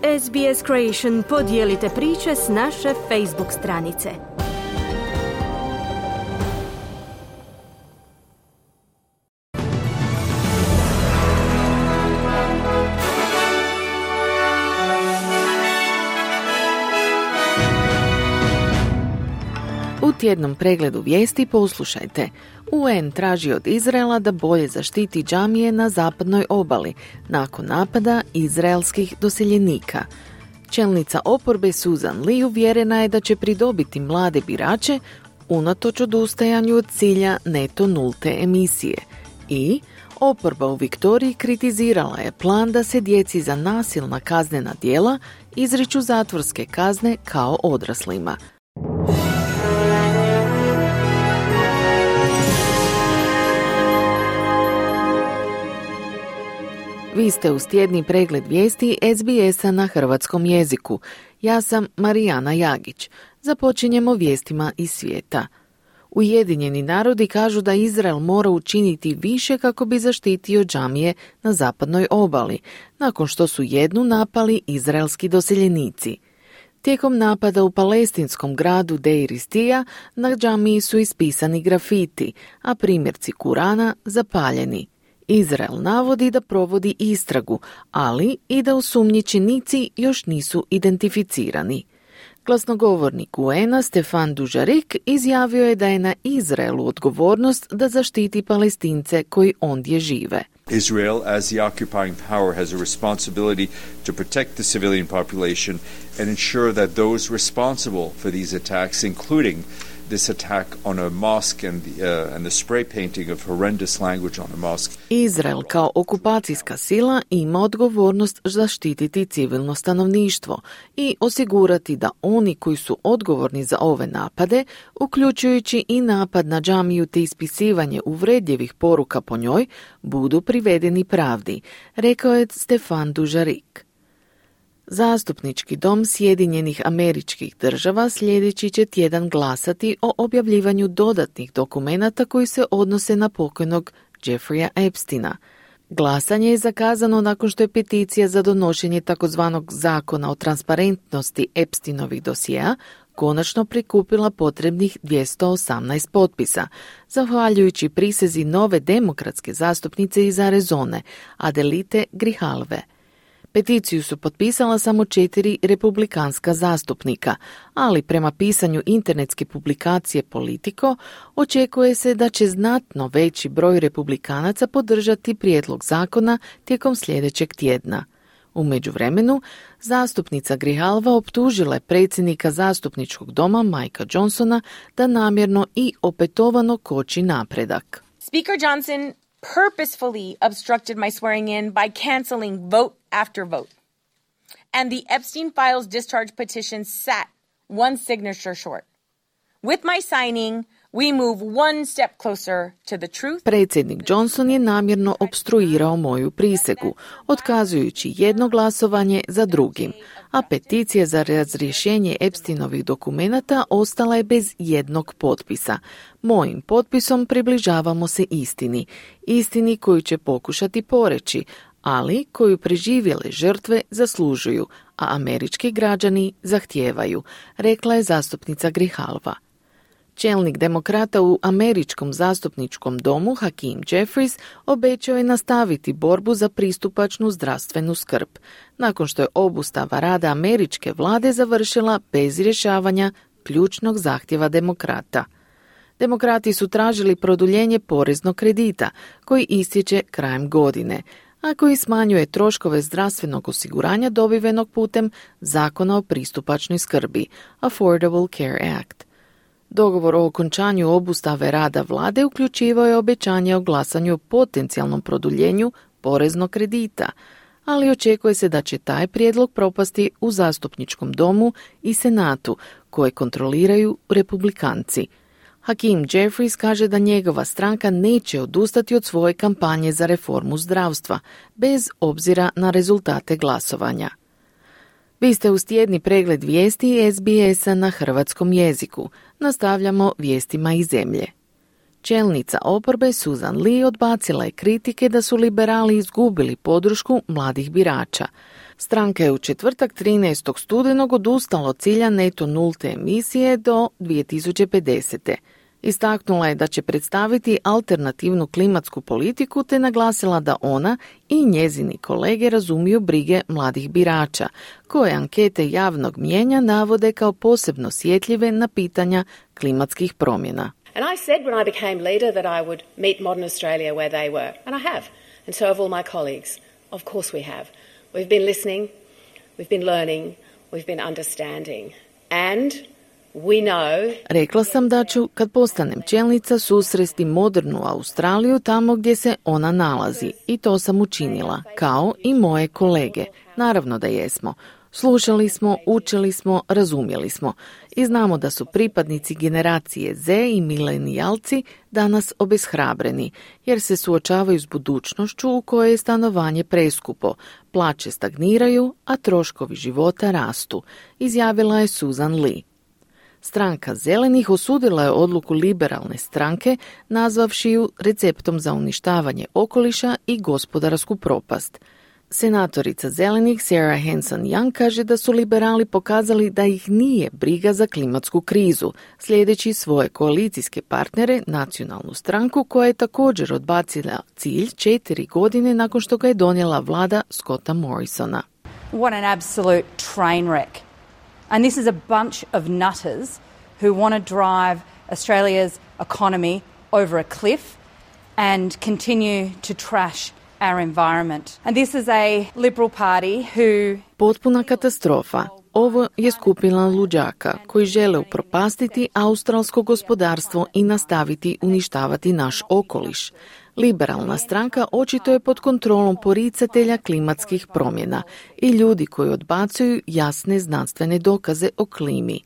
SBS Creation, podijelite priče s naše Facebook stranice. U tjednom pregledu vijesti poslušajte. UN traži od Izraela da bolje zaštiti džamije na zapadnoj obali nakon napada izraelskih doseljenika. Čelnica oporbe Susan Lee uvjerena je da će pridobiti mlade birače unatoč odustajanju od cilja neto nulte emisije. I oporba u Viktoriji kritizirala je plan da se djeci za nasilna kaznena djela izriču zatvorske kazne kao odraslima. Vi ste uz tjedni pregled vijesti SBS-a na hrvatskom jeziku. Ja sam Marijana Jagić. Započinjemo vijestima iz svijeta. Ujedinjeni narodi kažu da Izrael mora učiniti više kako bi zaštitio džamije na zapadnoj obali, nakon što su jednu napali izraelski doseljenici. Tijekom napada u palestinskom gradu Deir Istija na džamiji su ispisani grafiti, a primjerci Kurana zapaljeni. Izrael navodi da provodi istragu, ali i da osumnjičenici još nisu identificirani. Glasnogovornik UN-a Stefan Dujarric izjavio je da je na Izraelu odgovornost da zaštiti Palestince koji ondje žive. Israel, as the occupying power, has a responsibility to protect the civilian population and ensure that those responsible for these attacks, including this attack on a mosque and the spray painting of horrendous language on a mosque. Izrael kao okupacijska sila ima odgovornost zaštititi civilno stanovništvo i osigurati da oni koji su odgovorni za ove napade, uključujući i napad na džamiju te ispisivanje uvredljivih poruka po njoj, budu privedeni pravdi, rekao je Stefan Dujarric. Zastupnički dom Sjedinjenih Američkih Država sljedeći će tjedan glasati o objavljivanju dodatnih dokumenata koji se odnose na pokojnog Jeffreya Epsteina. Glasanje je zakazano nakon što je peticija za donošenje takozvanog zakona o transparentnosti Epsteinovih dosjea konačno prikupila potrebnih 218 potpisa, zahvaljujući prisezi nove demokratske zastupnice iz Arizone, Adelite Grijalve. Peticiju su potpisala samo 4 republikanska zastupnika, ali prema pisanju internetske publikacije Politico očekuje se da će znatno veći broj republikanaca podržati prijedlog zakona tijekom sljedećeg tjedna. U međuvremenu, zastupnica Grijalva optužila je predsjednika zastupničkog doma Mikea Johnsona da namjerno i opetovano koči napredak. Speaker Johnson purposefully obstructed my swearing in by canceling vote after vote. And the Epstein Files discharge petition sat one signature short. With my signing, we move one step closer to the truth. Predsjednik Johnson je namjerno opstruirao moju prisegu, otkazujući jedno glasovanje za drugim, a peticija za razrješenje Epsteinovih dokumenata ostala je bez jednog potpisa. Mojim potpisom približavamo se istini koju će pokušati poreći, ali koju preživjele žrtve zaslužuju, a američki građani zahtijevaju, rekla je zastupnica Grijalva. Čelnik demokrata u američkom zastupničkom domu Hakeem Jeffries obećao je nastaviti borbu za pristupačnu zdravstvenu skrb, nakon što je obustava rada američke vlade završila bez rješavanja ključnog zahtjeva demokrata. Demokrati su tražili produljenje poreznog kredita koji istječe krajem godine, a koji smanjuje troškove zdravstvenog osiguranja dobivenog putem Zakona o pristupačnoj skrbi, Affordable Care Act. Dogovor o okončanju obustave rada vlade uključivao je obećanje o glasanju o potencijalnom produljenju poreznog kredita, ali očekuje se da će taj prijedlog propasti u zastupničkom domu i senatu, koje kontroliraju republikanci. Hakeem Jeffries kaže da njegova stranka neće odustati od svoje kampanje za reformu zdravstva, bez obzira na rezultate glasovanja. Vi ste uz tjedni pregled vijesti SBS-a na hrvatskom jeziku. Nastavljamo vijestima iz zemlje. Čelnica oporbe Susan Lee odbacila je kritike da su liberali izgubili podršku mladih birača. Stranka je u četvrtak 13. studenog odustala od cilja neto nulte emisije do 2050. Istaknula je da će predstaviti alternativnu klimatsku politiku te naglasila da ona i njezini kolege razumiju brige mladih birača, koje ankete javnog mnijenja navode kao posebno osjetljive na pitanja klimatskih promjena. And I said when I became leader that I would meet modern Australia where they were, and I have, and so have all my colleagues. Of course we have. We've been listening, we've been learning, we've been understanding, and we know... Rekla sam da ću, kad postanem čelnica, susresti modernu Australiju tamo gdje se ona nalazi. I to sam učinila, kao i moje kolege. Naravno da jesmo. Slušali smo, učili smo, razumjeli smo. I znamo da su pripadnici generacije Z i milenijalci danas obeshrabreni, jer se suočavaju s budućnošću u kojoj je stanovanje preskupo, plaće stagniraju, a troškovi života rastu, izjavila je Susan Lee. Stranka zelenih osudila je odluku liberalne stranke, nazvavši ju receptom za uništavanje okoliša i gospodarsku propast. Senatorica zelenih Sarah Hanson-Young kaže da su liberali pokazali da ih nije briga za klimatsku krizu, slijedeći svoje koalicijske partnere, nacionalnu stranku koja je također odbacila cilj 4 godine nakon što ga je donijela vlada Scotta Morrisona. What an absolute train wreck. And this is a bunch of nutters who want to drive Australia's economy over a cliff and continue to trash our environment. And this is a Liberal Party who... Potpuna katastrofa. Ovo je skupina luđaka koji žele upropastiti australsko gospodarstvo i nastaviti uništavati naš okoliš. Liberalna stranka očito je pod kontrolom poricatelja klimatskih promjena i ljudi koji odbacuju jasne znanstvene dokaze o klimi.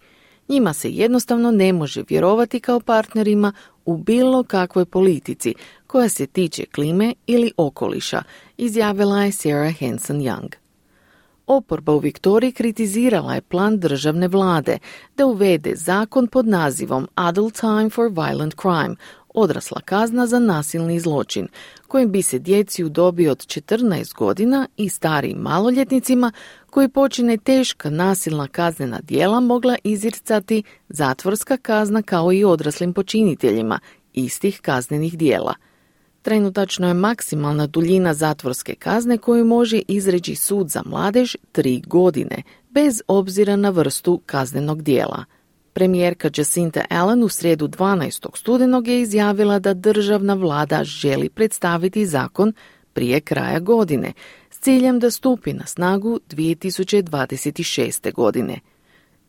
Njima se jednostavno ne može vjerovati kao partnerima u bilo kakvoj politici koja se tiče klime ili okoliša, izjavila je Sarah Hanson-Young. Oporba u Viktoriji kritizirala je plan državne vlade da uvede zakon pod nazivom Adult Time for Violent Crime, odrasla kazna za nasilni zločin, kojim bi se djeci u dobi od 14 godina i starijim maloljetnicima koji počine teška nasilna kaznena djela mogla izricati zatvorska kazna kao i odraslim počiniteljima istih kaznenih djela. Trenutačno je maksimalna duljina zatvorske kazne koju može izreći sud za mladež 3 godine, bez obzira na vrstu kaznenog djela. Premijerka Jacinta Allen u srijedu 12. studenog je izjavila da državna vlada želi predstaviti zakon prije kraja godine, s ciljem da stupi na snagu 2026. godine.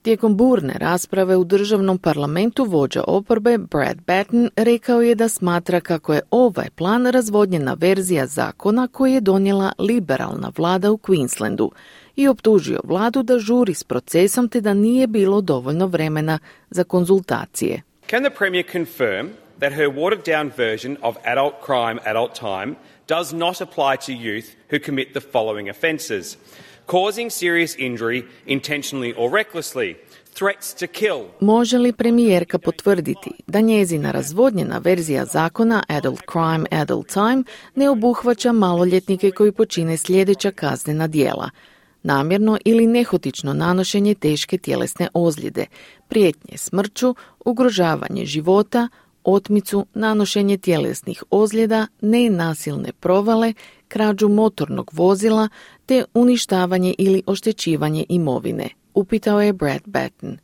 Tijekom burne rasprave u državnom parlamentu vođa oporbe Brad Batten rekao je da smatra kako je ovaj plan razvodnjena verzija zakona koji je donijela liberalna vlada u Queenslandu i optužio vladu da žuri s procesom te da nije bilo dovoljno vremena za konzultacije. Can the Premier confirm that her watered down version of adult crime, adult time does not apply to youth who commit the following offences: causing serious injury intentionally or recklessly, threats to kill. Može li premijerka potvrditi da njezina razvodnjena verzija zakona Adult Crime, Adult Time ne obuhvaća maloljetnike koji počine sljedeća kaznena djela: namjerno ili nehotično nanošenje teške tjelesne ozljede, prijetnje smrću, ugrožavanje života, otmicu, nanošenje tjelesnih ozljeda, nenasilne provale, krađu motornog vozila te uništavanje ili oštećivanje imovine, upitao je Brad Batten.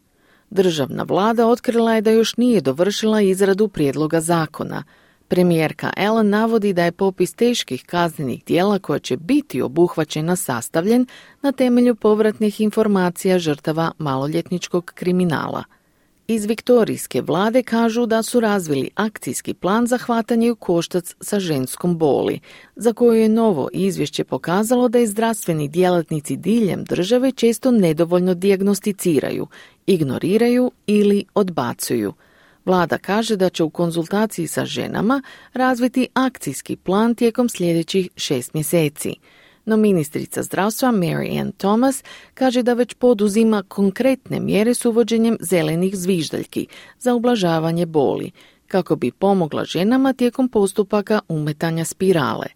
Državna vlada otkrila je da još nije dovršila izradu prijedloga zakona. Premijerka Allen navodi da je popis teških kaznenih djela koja će biti obuhvaćena sastavljen na temelju povratnih informacija žrtava maloljetničkog kriminala. Iz viktorijske vlade kažu da su razvili akcijski plan za hvatanje u koštac sa ženskom boli, za koju je novo izvješće pokazalo da je zdravstveni djelatnici diljem države često nedovoljno dijagnosticiraju, ignoriraju ili odbacuju. Vlada kaže da će u konzultaciji sa ženama razviti akcijski plan tijekom sljedećih 6 mjeseci. No ministrica zdravstva Mary Ann Thomas kaže da već poduzima konkretne mjere s uvođenjem zelenih zviždaljki za ublažavanje boli, kako bi pomogla ženama tijekom postupaka umetanja spirale.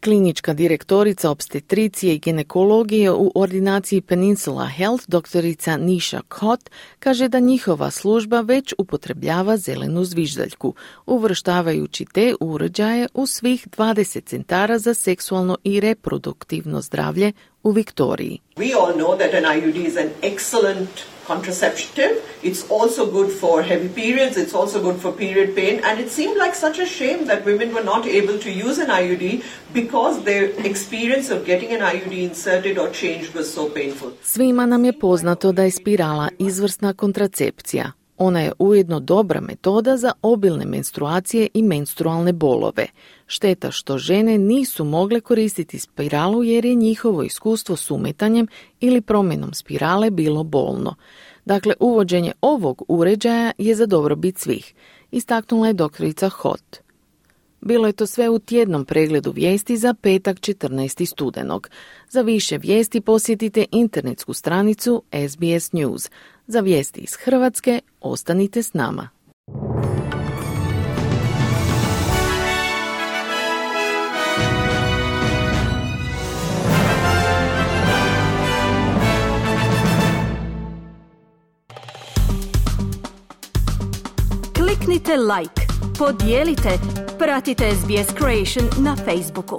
Klinička direktorica opstetricije i ginekologije u ordinaciji Peninsula Health, doktorica Nisha Kot, kaže da njihova služba već upotrebljava zelenu zviždaljku, uvrštavajući te uređaje u svih 20 centara za seksualno i reproduktivno zdravlje u Viktoriji. We all know that an IUD is an excellent contraceptive. It's also good for heavy periods. It's also good for period pain. And it seemed like such a shame that women were not able to use an IUD because their experience of getting an IUD inserted or changed was so painful. Svima nam je poznato da je spirala izvrsna kontracepcija. Ona je ujedno dobra metoda za obilne menstruacije i menstrualne bolove. Šteta što žene nisu mogle koristiti spiralu jer je njihovo iskustvo s umetanjem ili promjenom spirale bilo bolno. Dakle, uvođenje ovog uređaja je za dobrobit svih, istaknula je doktorica Hot. Bilo je to sve u tjednom pregledu vijesti za petak 14. studenog. Za više vijesti posjetite internetsku stranicu SBS News. Za vijesti iz Hrvatske ostanite s nama. Kliknite like, podijelite, pratite SBS Creation na Facebooku.